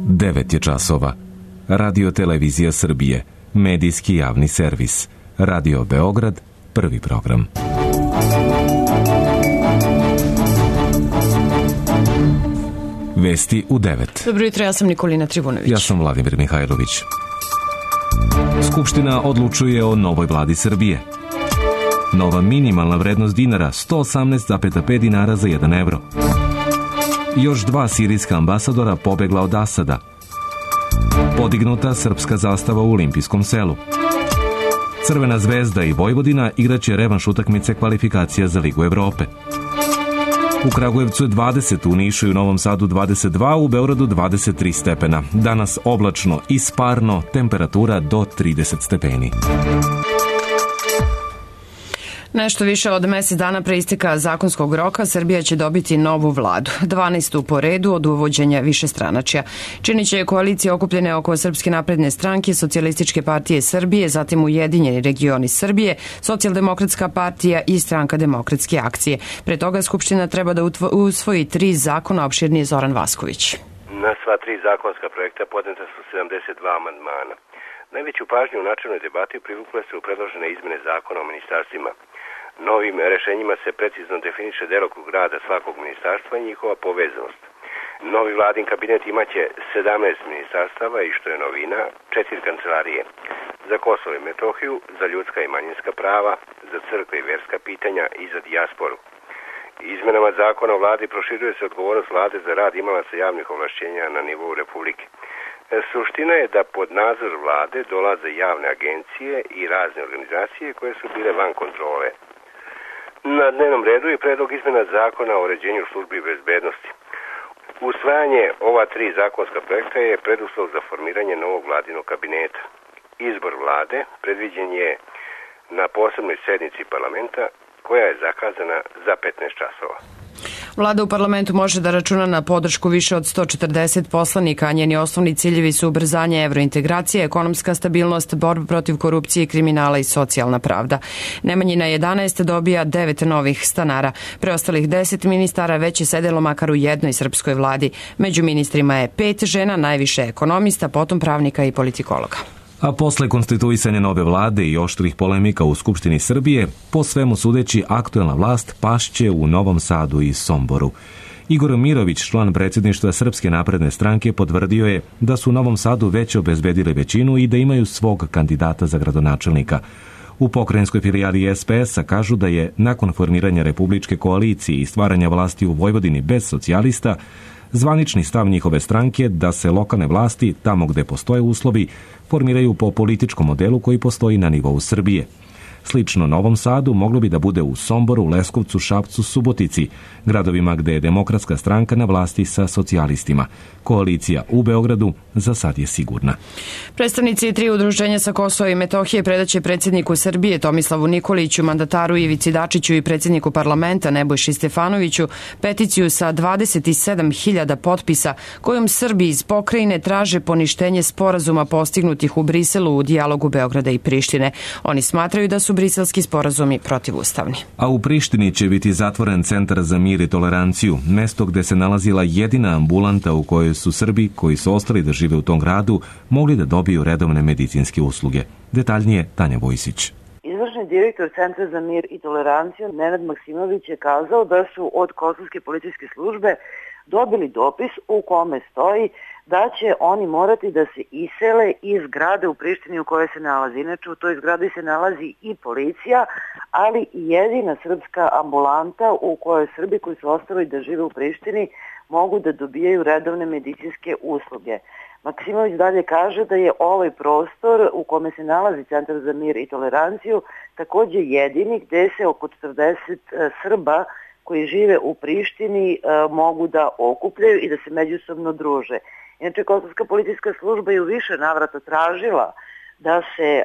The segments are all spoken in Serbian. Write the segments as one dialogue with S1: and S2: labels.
S1: 9 je časova. Radio Televizija Srbije, medijski javni servis. Radio Beograd, prvi program. Vesti u 9.
S2: Dobro jutro, ja sam Nikolina Trivunović.
S1: Ja sam Vladimir Mihajlović. Skupština odlučuje o novoj vladi Srbije. Nova minimalna vrednost dinara 118,5 dinara za 1 evro. Još 2 sirijska ambasadora pobegla od Asada. Podignuta srpska zastava u Olimpijskom selu. Crvena zvezda i Vojvodina igraće revanš utakmice kvalifikacija za Ligu Evrope. U Kragujevcu je 20, u Nišu i u Novom Sadu 22, u Beogradu 23 stepena. Danas oblačno i sparno, temperatura do 30 stepeni.
S2: Nešto više od mesec dana pre isteka zakonskog roka Srbija će dobiti novu vladu, 12. po redu od uvođenja višestranačja. Činit će koalicije okupljene oko Srpske napredne stranke, Socijalističke partije Srbije, zatim Ujedinjeni regioni Srbije, Socijaldemokratska partija i Stranka demokratske akcije. Pre toga Skupština treba da usvoji 3 zakona, opširnije Zoran Vasković.
S3: Na sva 3 zakonska projekta podneta su 72 amandmana. Najveću pažnju u načelnoj debati privukle su predložene izmene zakona o ministarstvima. Novim rešenjima se precizno definiše delokrug rada svakog ministarstva i njihova povezanost. Novi vladin kabinet imaće 17 ministarstava i, što je novina, 4 kancelarije. Za Kosovo i Metohiju, za ljudska i manjinska prava, za crkve i verska pitanja i za dijasporu. Izmenama zakona o vladi proširuje se odgovornost vlade za rad imalaca javnih ovlašćenja na nivou Republike. Suština je da pod nadzor vlade dolaze javne agencije i razne organizacije koje su bile van kontrole. Na dnevnom redu je predlog izmena zakona o uređenju službi bezbednosti. Usvajanje ova 3 zakonska projekta je preduslov za formiranje novog vladinog kabineta. Izbor vlade predviđen je na posebnoj sednici parlamenta koja je zakazana za 15 časova.
S2: Vlada u parlamentu može da računa na podršku više od 140 poslanika, a njeni osnovni ciljevi su ubrzanje evrointegracije, ekonomska stabilnost, borba protiv korupcije i kriminala i socijalna pravda. Nemanjina 11 dobija 9 novih stanara. Preostalih 10 ministara već je sedelo makar u jednoj srpskoj vladi. Među ministrima je 5 žena, najviše ekonomista, potom pravnika i politikologa.
S1: A posle konstituisanja nove vlade i oštrih polemika u Skupštini Srbije, po svemu sudeći aktuelna vlast pašće u Novom Sadu i Somboru. Igor Mirović, član predsjedništva Srpske napredne stranke, potvrdio je da su u Novom Sadu već obezbedili većinu i da imaju svog kandidata za gradonačelnika. U pokrajinskoj filijali SPS-a kažu da je nakon formiranja republičke koalicije i stvaranja vlasti u Vojvodini bez socijalista, zvanični stav njihove stranke da se lokalne vlasti, tamo gde postoje uslovi, formiraju po političkom modelu koji postoji na nivou Srbije. Slično Novom Sadu moglo bi da bude u Somboru, Leskovcu, Šapcu, Subotici, gradovima gde je Demokratska stranka na vlasti sa socijalistima. Koalicija u Beogradu za sad je sigurna.
S2: Predstavnici 3 udruženja sa Kosova i Metohije predaće predsjedniku Srbije Tomislavu Nikoliću, mandataru Ivici Dačiću i predsjedniku parlamenta Nebojši Stefanoviću peticiju sa 27.000 potpisa kojom Srbi iz pokrajine traže poništenje sporazuma postignutih u Briselu u dijalogu Beograda i Prištine. Oni smatraju da su briselski sporazumi protivustavni.
S1: A u Prištini će biti zatvoren Centar za mir i toleranciju, mesto gde se nalazila jedina ambulanta u kojoj su Srbi koji su ostali da žive u tom gradu mogli da dobiju redovne medicinske usluge. Detaljnije Tanja Vojsić.
S4: Izvršni direktor Centra za mir i toleranciju Nenad Maksimović je kazao da su od Kosovske policijske službe dobili dopis u kome stoji da će oni morati da se isele iz zgrade u Prištini u kojoj se nalazi. Inače, u toj zgradi se nalazi i policija, ali i jedina srpska ambulanta u kojoj Srbi koji su ostali da žive u Prištini mogu da dobijaju redovne medicinske usluge. Maksimović dalje kaže da je ovaj prostor u kome se nalazi Centar za mir i toleranciju takođe jedini gde se oko 40 Srba koji žive u Prištini mogu da okupljaju i da se međusobno druže. Inače, Kosovska policijska služba je u više navrata tražila da se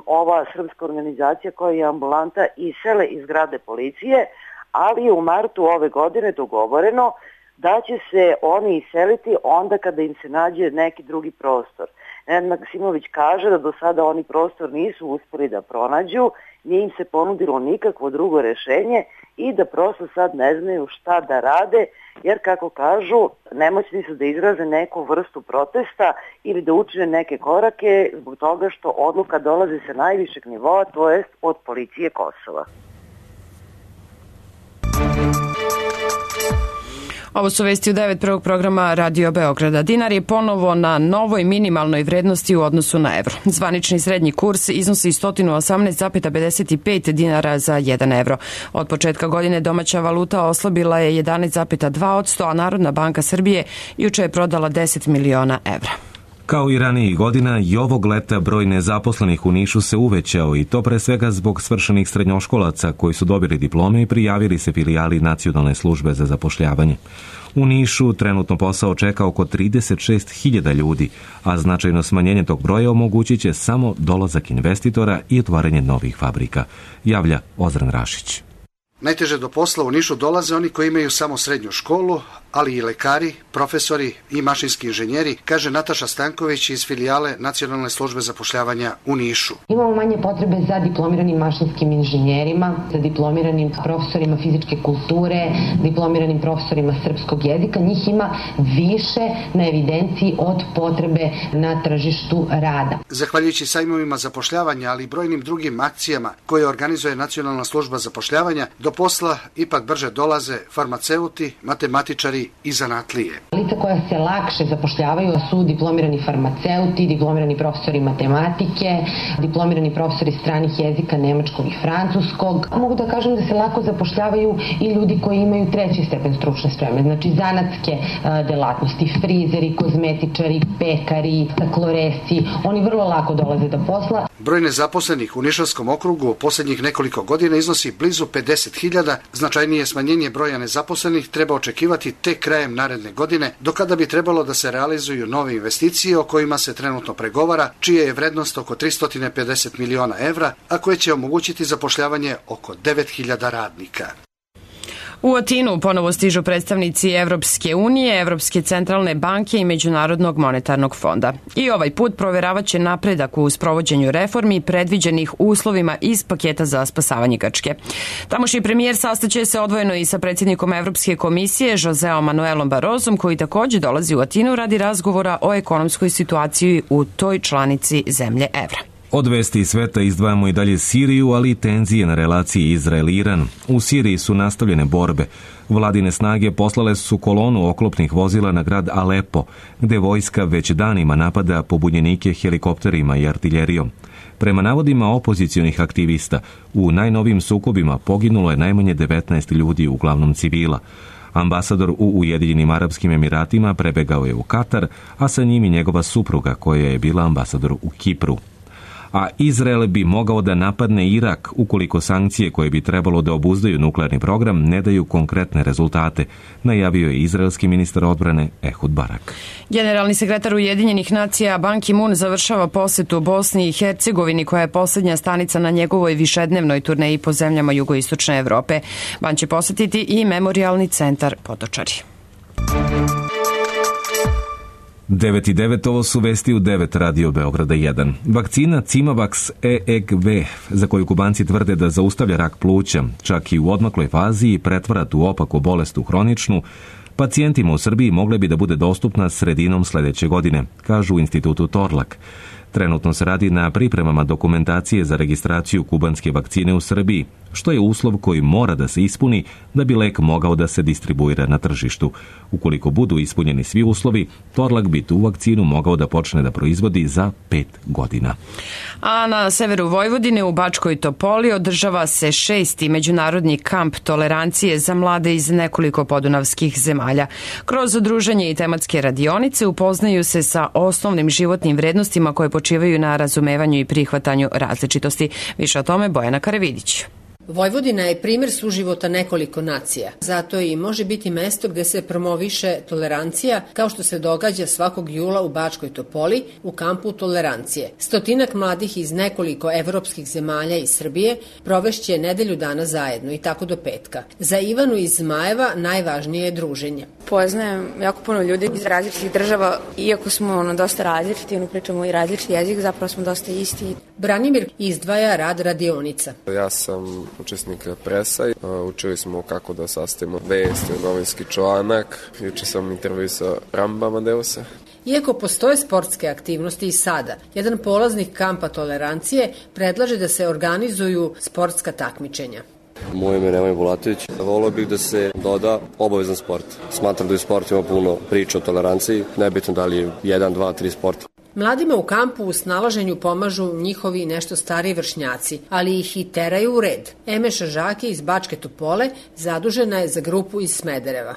S4: ova srpska organizacija koja je ambulanta isele iz zgrade policije, ali je u martu ove godine dogovoreno da će se oni iseliti onda kada im se nađe neki drugi prostor. Nenad Maksimović kaže da do sada oni prostor nisu uspeli da pronađu nije im se ponudilo nikakvo drugo rešenje i da prosto sad ne znaju šta da rade, jer kako kažu, nemoćni su da izraze neku vrstu protesta ili da učine neke korake zbog toga što odluka dolazi sa najvišeg nivoa, to jest od policije Kosova.
S2: Ovo su vesti u 9 prvog programa Radio Beograda. Dinar je ponovo na novoj minimalnoj vrednosti u odnosu na evro. Zvanični srednji kurs iznosi 118,55 dinara za 1 evro. Od početka godine domaća valuta oslabila je 11,2%, a Narodna banka Srbije juče je prodala 10 miliona evra.
S1: Kao i ranijih godina, i ovog leta broj nezaposlenih u Nišu se uvećao i to pre svega zbog svršenih srednjoškolaca koji su dobili diplome i prijavili se filijali Nacionalne službe za zapošljavanje. U Nišu trenutno posao čeka oko 36.000 ljudi, a značajno smanjenje tog broja omogućit će samo dolazak investitora i otvaranje novih fabrika, javlja Ozran Rašić.
S5: Najteže do posla u Nišu dolaze oni koji imaju samo srednju školu, ali i lekari, profesori i mašinski inženjeri, kaže Nataša Stanković iz filijale Nacionalne službe zapošljavanja u Nišu.
S6: Imamo manje potrebe za diplomiranim mašinskim inženjerima, za diplomiranim profesorima fizičke kulture, diplomiranim profesorima srpskog jezika. Njih ima više na evidenciji od potrebe na tržištu rada.
S5: Zahvaljujući sajmovima zapošljavanja, ali i brojnim drugim akcijama koje organizuje Nacionalna služba zapošljavanja, do posla ipak brže dolaze farmaceuti, matematičari i zanatlije.
S6: Lica koja se lakše zapošljavaju su diplomirani farmaceuti, diplomirani profesori matematike, diplomirani profesori stranih jezika nemačkog i francuskog. Mogu da kažem da se lako zapošljavaju i ljudi koji imaju 3. stepen stručne spreme, znači zanatske delatnosti, frizeri, kozmetičari, pekari, stakloresci, oni vrlo lako dolaze do posla.
S5: Broj nezaposlenih u Nišavskom okrugu u posljednjih nekoliko godina iznosi blizu 50.000, značajnije smanjenje broja nezaposlenih treba očekivati tek krajem naredne godine, do kada bi trebalo da se realizuju nove investicije o kojima se trenutno pregovara, čija je vrednost oko 350 miliona evra, a koje će omogućiti zapošljavanje oko 9.000 radnika.
S2: U Atinu ponovo stižu predstavnici Evropske unije, Evropske centralne banke i Međunarodnog monetarnog fonda. I ovaj put proveravaće napredak u sprovođenju reformi predviđenih uslovima iz paketa za spasavanje Grčke. Tamošnji premijer sastaće se odvojeno i sa predsjednikom Evropske komisije Joseom Manuelom Barrosom, koji također dolazi u Atinu radi razgovora o ekonomskoj situaciji u toj članici zemlje evra.
S1: Od vesti sveta izdvajamo i dalje Siriju, ali i tenzije na relaciji Izrael-Iran. U Siriji su nastavljene borbe. Vladine snage poslale su kolonu oklopnih vozila na grad Alepo, gde vojska već danima napada pobunjenike helikopterima i artiljerijom. Prema navodima opozicionih aktivista, u najnovijim sukobima poginulo je najmanje 19 ljudi, uglavnom civila. Ambasador u Ujedinjenim Arapskim Emiratima prebegao je u Katar, a sa njim i njegova supruga koja je bila ambasador u Kipru. A Izrael bi mogao da napadne Irak ukoliko sankcije koje bi trebalo da obuzdaju nuklearni program ne daju konkretne rezultate, najavio je izraelski ministar odbrane Ehud Barak.
S2: Generalni sekretar Ujedinjenih nacija Ban Ki-moon završava posetu Bosni i Hercegovini, koja je posljednja stanica na njegovoj višednevnoj turneji po zemljama jugoistočne Evrope. Ban će posetiti i memorijalni centar Potočari.
S1: 9:09, ovo su vesti u 9 Radio Beograda 1. Vakcina Cimavax EEGV, za koju Kubanci tvrde da zaustavlja rak pluća, čak i u odmakloj fazi i pretvara tu opaku bolest u hroničnu, pacijentima u Srbiji mogle bi da bude dostupna sredinom sljedeće godine, kažu u institutu Torlak. Trenutno se radi na pripremama dokumentacije za registraciju kubanske vakcine u Srbiji, što je uslov koji mora da se ispuni da bi lek mogao da se distribuira na tržištu. Ukoliko budu ispunjeni svi uslovi, Torlak bi tu vakcinu mogao da počne da proizvodi za 5 godina.
S2: A na severu Vojvodine u Bačkoj Topoli održava se 6. međunarodni kamp tolerancije za mlade iz nekoliko podunavskih zemalja. Kroz druženje i tematske radionice upoznaju se sa osnovnim životnim vrednostima koje počivaju na razumevanju i prihvatanju različitosti. Više o tome Bojana Karavidić.
S7: Vojvodina je primjer suživota nekoliko nacija. Zato i može biti mesto gde se promoviše tolerancija, kao što se događa svakog jula u Bačkoj Topoli u kampu tolerancije. 100 mladih iz nekoliko evropskih zemalja i Srbije provešće nedelju dana zajedno i tako do petka. Za Ivanu iz Zmajeva najvažnije je druženje.
S8: Poznajem jako puno ljudi iz različitih država, iako smo dosta različiti, pričamo i različiti jezik, zapravo smo dosta isti.
S7: Branimir izdvaja rad radionica.
S9: Ja sam učesnik presa, učili smo kako da sastavimo vest, novinski članak, juče sam intervju sa Ramba Amadeusa.
S7: Iako postoje sportske aktivnosti i sada, jedan polaznik kampa tolerancije predlaže da se organizuju sportska takmičenja.
S10: Moje ime je Nemanja Bulatović. Volio bih da se doda obavezan sport. Smatram da u sportu ima puno priča o toleranciji, nebitno da li je 1, 2, 3 sporta.
S7: Mladima u kampu u snalaženju pomažu njihovi nešto stariji vršnjaci, ali ih i teraju u red. Emeša Žaki iz Bačke Topole zadužena je za grupu iz Smedereva.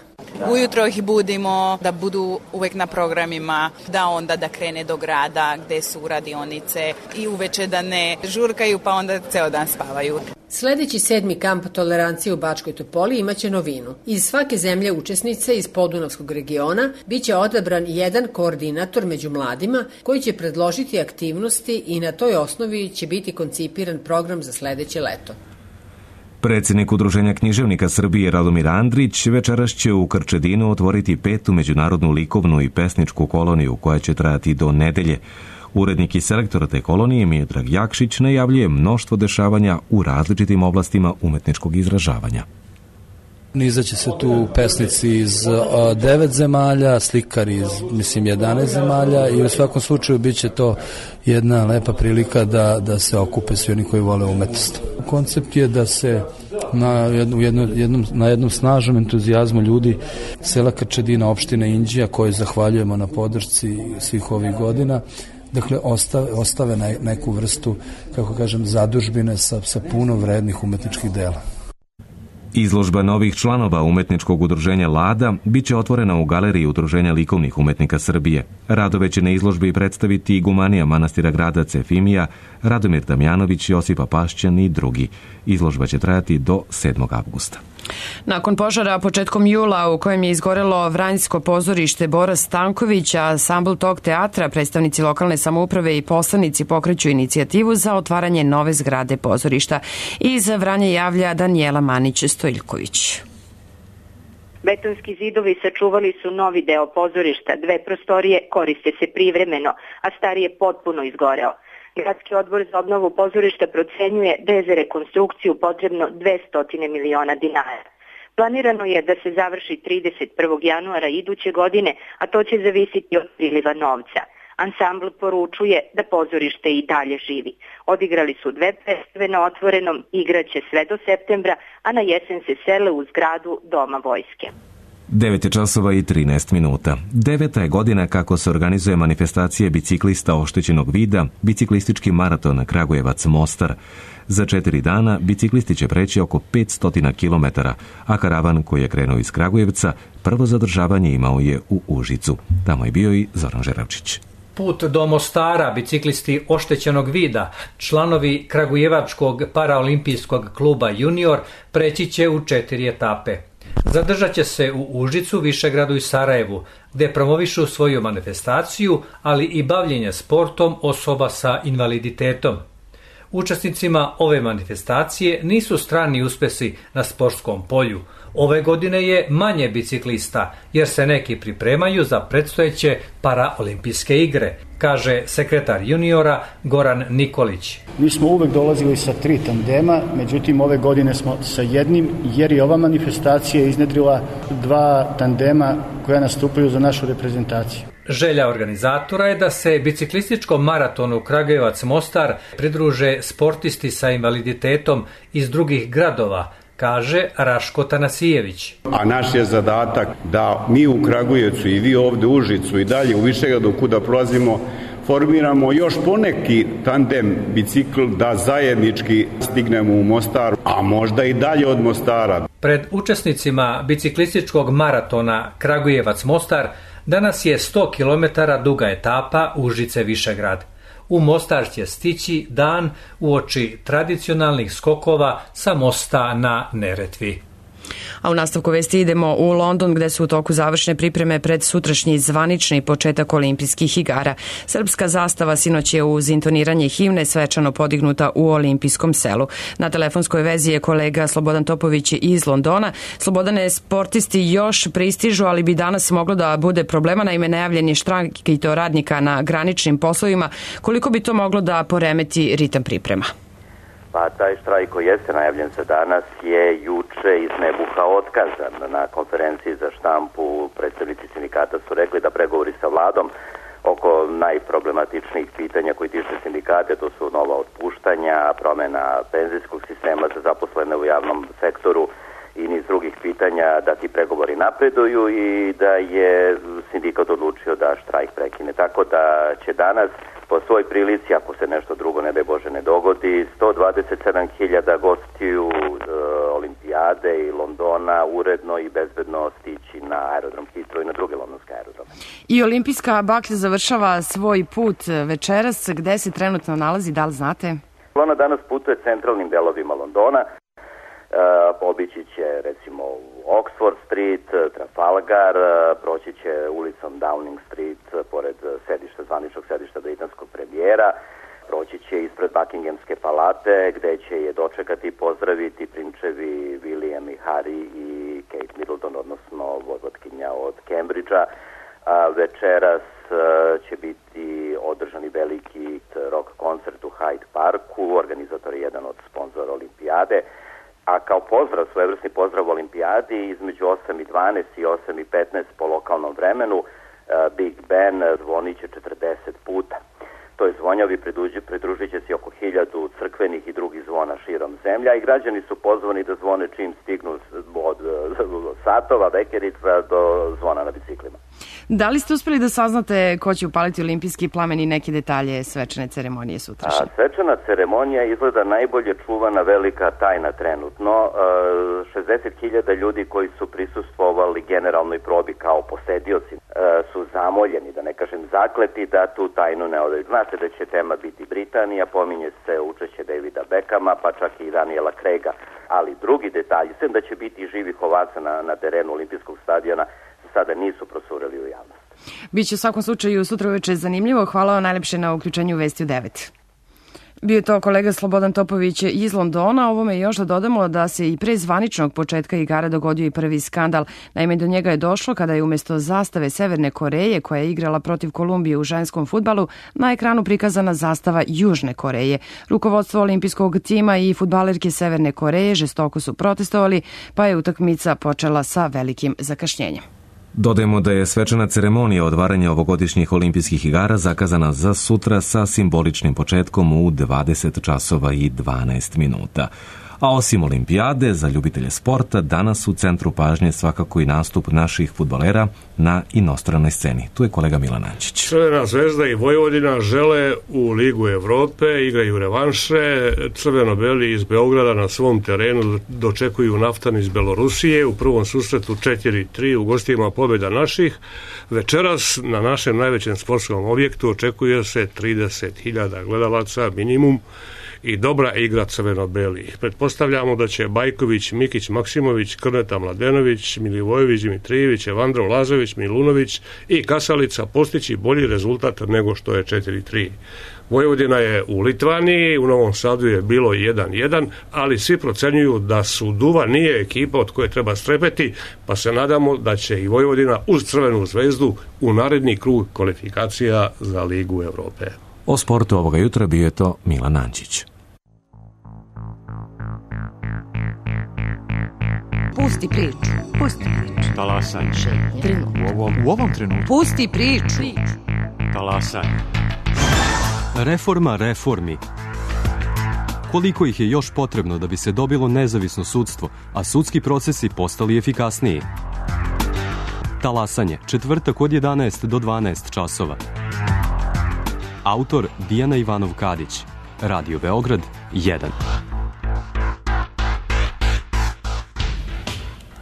S11: Ujutro ih budimo da budu uvek na programima, da onda da krene do grada gde su radionice i uveče da ne žurkaju pa onda ceo dan spavaju.
S7: Sledeći 7. kamp tolerancije u Bačkoj Topoli imaće novinu. Iz svake zemlje učesnice iz Podunavskog regiona biće odabran jedan koordinator među mladima koji će predložiti aktivnosti i na toj osnovi će biti koncipiran program za sledeće leto.
S1: Predsjednik Udruženja književnika Srbije Radomir Andrić večeras će u Krčedinu otvoriti 5. međunarodnu likovnu i pesničku koloniju koja će trajati do nedelje. Urednik i selektor te kolonije Miodrag Jakšić najavljuje mnoštvo dešavanja u različitim oblastima umetničkog izražavanja.
S12: Nizaće se tu pesnici iz 9 zemalja, slikari iz 11 zemalja i u svakom slučaju bit će to jedna lepa prilika da se okupe svi oni koji vole umetnost. Koncept je da se na jednom snažnom entuzijazmu ljudi sela Krčedina, opštine Inđija, koji zahvaljujemo na podršci svih ovih godina, dakle ostave neku vrstu, kako kažem, zadužbine sa puno vrednih umetničkih dela.
S1: Izložba novih članova umetničkog udruženja Lada biće otvorena u galeriji Udruženja likovnih umetnika Srbije. Radove će na izložbi predstaviti igumanija manastira grada Efimija, Radomir Damjanović, Josipa Pašćan i drugi. Izložba će trajati do 7. avgusta.
S2: Nakon požara početkom jula u kojem je izgorelo Vranjsko pozorište Bora Stanković, a ansambl tog teatra, predstavnici lokalne samouprave i poslanici pokreću inicijativu za otvaranje nove zgrade pozorišta. Iz Vranja javlja Danijela Manić-Stojiljković.
S13: Betonski zidovi sačuvali su novi deo pozorišta, 2 prostorije koriste se privremeno, a stari je potpuno izgoreo. Gradski odbor za obnovu pozorišta procenjuje da je za rekonstrukciju potrebno 200 miliona dinara. Planirano je da se završi 31. januara iduće godine, a to će zavisiti od priliva novca. Ansambl poručuje da pozorište i dalje živi. Odigrali su 2 predstave na otvorenom, igraće sve do septembra, a na jesen se sele u zgradu Doma vojske.
S1: 9:13. 9. je godina kako se organizuje manifestacija biciklista oštećenog vida, biciklistički maraton Kragujevac-Mostar. Za 4 dana biciklisti će preći oko 500 km, a karavan koji je krenuo iz Kragujevca prvo zadržavanje imao je u Užicu. Tamo je bio i Zoran Žeravčić.
S14: Put do Mostara biciklisti oštećenog vida, članovi Kragujevačkog paraolimpijskog kluba Junior, preći će u 4 etape. Zadržat će se u Užicu, Višegradu i Sarajevu, gde promovišu svoju manifestaciju, ali i bavljenje sportom osoba sa invaliditetom. Učesnicima ove manifestacije nisu strani uspesi na sportskom polju. Ove godine je manje biciklista, jer se neki pripremaju za predstojeće paraolimpijske igre, kaže sekretar juniora Goran Nikolić.
S15: Mi smo uvek dolazili sa 3 tandema, međutim ove godine smo sa jednim, jer je ova manifestacija iznedrila 2 tandema koja nastupaju za našu reprezentaciju.
S14: Želja organizatora je da se biciklističkom maratonu Kragujevac-Mostar pridruže sportisti sa invaliditetom iz drugih gradova, kaže Raško Tanasijević.
S16: A naš je zadatak da mi u Kragujevcu i vi ovde u Užicu i dalje u Višegradu kuda prolazimo formiramo još poneki tandem bicikl da zajednički stignemo u Mostar, a možda i dalje od Mostara.
S14: Pred učesnicima biciklističkog maratona Kragujevac-Mostar danas je 100 km duga etapa Užice-Višegrad. U Mostar će stići dan uoči tradicionalnih skokova sa mosta na Neretvi.
S2: A u nastavku vesti idemo u London gde su u toku završne pripreme pred sutrašnji zvanični početak olimpijskih igara. Srpska zastava sinoć je uz intoniranje himne svečano podignuta u olimpijskom selu. Na telefonskoj vezi je kolega Slobodan Topović iz Londona. Slobodane, sportisti još pristižu, ali bi danas moglo da bude problema, naime najavljen je štrajk i to radnika na graničnim poslovima. Koliko bi to moglo da poremeti ritam priprema?
S17: Pa taj štrajk koji jeste najavljen za danas je juče iz nebuha otkazan. Na konferenciji za štampu predstavnici sindikata su rekli da pregovori sa vladom oko najproblematičnijih pitanja koji tiče sindikate, to su nova otpuštanja, promjena penzijskog sistema za zaposlene u javnom sektoru i niz drugih pitanja, da ti pregovori napreduju i da je sindikat odlučio da štrajk prekine. Tako da će danas po svoj prilici, ako se nešto drugo ne daj Bože ne dogodi, 127.000 gostiju Olimpijade i Londona uredno i bezbedno stići na aerodrom Heathrow i na druge londonske aerodrome.
S2: I olimpijska baklja završava svoj put večeras. Gde se trenutno nalazi, da li znate?
S17: Ona danas putuje centralnim delovima Londona. Obići će recimo Oxford Street, Trafalgar, proći će ulicom Downing Street pored zvaničnog sedišta britanskog premijera, proći će ispred Buckinghamske palate gde će je dočekati i pozdraviti prinčevi William i Harry i Kate Middleton, odnosno vojvotkinja od Cambridgea. Večeras će biti održani veliki rock koncert u Hyde Parku, organizator je jedan od sponzora Olimpijade. A kao pozdrav, svojevrsni pozdrav Olimpijadi, između 8:12 i 8:15 po lokalnom vremenu, Big Ben zvonit će 40 puta. Toj zvonjavi pridružit će se oko 1000 crkvenih i drugih zvona širom zemlja i građani su pozvani da zvone čim stignu od satova, vekerica do zvona na biciklima.
S2: Da li ste uspeli da saznate ko će upaliti olimpijski plamen i neke detalje svečane ceremonije sutrašnje?
S17: Svečana ceremonija izgleda najbolje čuvana velika tajna trenutno. 60.000 ljudi koji su prisustvovali generalnoj probi kao posedioci su zamoljeni, da ne kažem zakleti, da tu tajnu ne odaju. Znate da će tema biti Britanija, pominje se učešće Davida Beckhama, pa čak i Daniela Craiga, ali drugi detalji, sem da će biti živih ovaca na terenu olimpijskog stadiona, sada nisu procureli u javnost.
S2: Biće u svakom slučaju sutra uveče zanimljivo. Hvala vam najlepše na uključenju Vesti u 9. Bio je to kolega Slobodan Topović iz Londona. Ovome još da dodamo da se i pre zvaničnog početka igara dogodio i prvi skandal. Naime, do njega je došlo kada je umjesto zastave Severne Koreje, koja je igrala protiv Kolumbije u ženskom fudbalu, na ekranu prikazana zastava Južne Koreje. Rukovodstvo olimpijskog tima i fudbalerke Severne Koreje žestoko su protestovali, pa je utakmica počela sa velikim zakašnjenjem.
S1: Dodajemo da je svečana ceremonija otvaranja ovogodišnjih olimpijskih igara zakazana za sutra sa simboličnim početkom u 20 časova i 12 minuta. A osim olimpijade, za ljubitelje sporta, danas u centru pažnje svakako i nastup naših fudbalera na inostranoj sceni. Tu je kolega Milan Ančić.
S18: Crvena zvezda i Vojvodina žele u Ligu Evrope, igraju revanše. Crveno-beli iz Beograda na svom terenu dočekuju Naftan iz Belorusije. U prvom susretu 4-3 u gostima pobjeda naših. Večeras na našem najvećem sportskom objektu očekuje se 30.000 gledalaca minimum i dobra igra crveno-belih. Pretpostavljamo da će Bajković, Mikić, Maksimović, Krneta Mladenović, Milivojević, Dimitrijević, Evandro Lazović, Milunović i Kasalica postići bolji rezultat nego što je 4-3. Vojvodina je u Litvaniji, u Novom Sadu je bilo 1-1, ali svi procenjuju da Suduva nije ekipa od koje treba strepeti, pa se nadamo da će i Vojvodina uz Crvenu zvezdu u naredni krug kvalifikacija za Ligu Evrope.
S1: O sportu ovoga jutra bio je to Milan Ančić.
S19: Pusti priču. Pusti priču.
S20: Talasaj.
S19: U ovom trenutku. Pusti priču.
S20: Talasaj. Reforma reformi. Koliko ih je još potrebno da bi se dobilo nezavisno sudstvo, a sudski procesi postali efikasniji? Talasanje, četvrtak od 11 do 12 časova. Autor Dijana Ivanov-Kadić. Radio Beograd 1.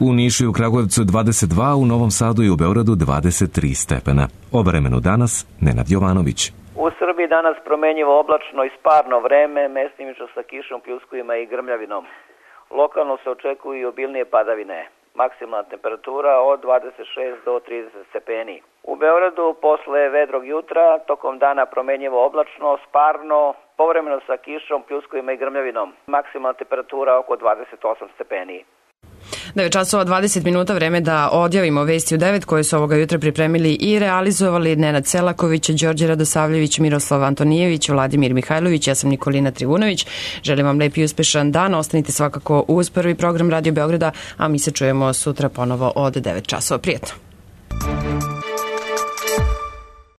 S1: U Nišu i u Kragujevcu 22, u Novom Sadu i u Beogradu 23 stepena. O vremenu danas Nenad Jovanović.
S21: U Srbiji danas promenjivo oblačno i sparno vreme, mestimično sa kišom, pljuskovima i grmljavinom. Lokalno se očekuju i obilnije padavine. Maksimalna temperatura od 26 do 30 stepeni. U Beogradu posle vedrog jutra, tokom dana promenjivo oblačno, sparno, povremeno sa kišom, pljuskovima i grmljavinom. Maksimalna temperatura oko 28 stepeni.
S2: 9 časova 20 minuta, vreme da odjavimo vesti u 9 koje su ovoga jutra pripremili i realizovali Nenad Selaković, Đorđe Radosavljević, Miroslav Antonijević, Vladimir Mihajlović, ja sam Nikolina Trivunović. Želim vam lep i uspešan dan, ostanite svakako uz prvi program Radio Beograda, a mi se čujemo sutra ponovo od 9 časova. Prijetno!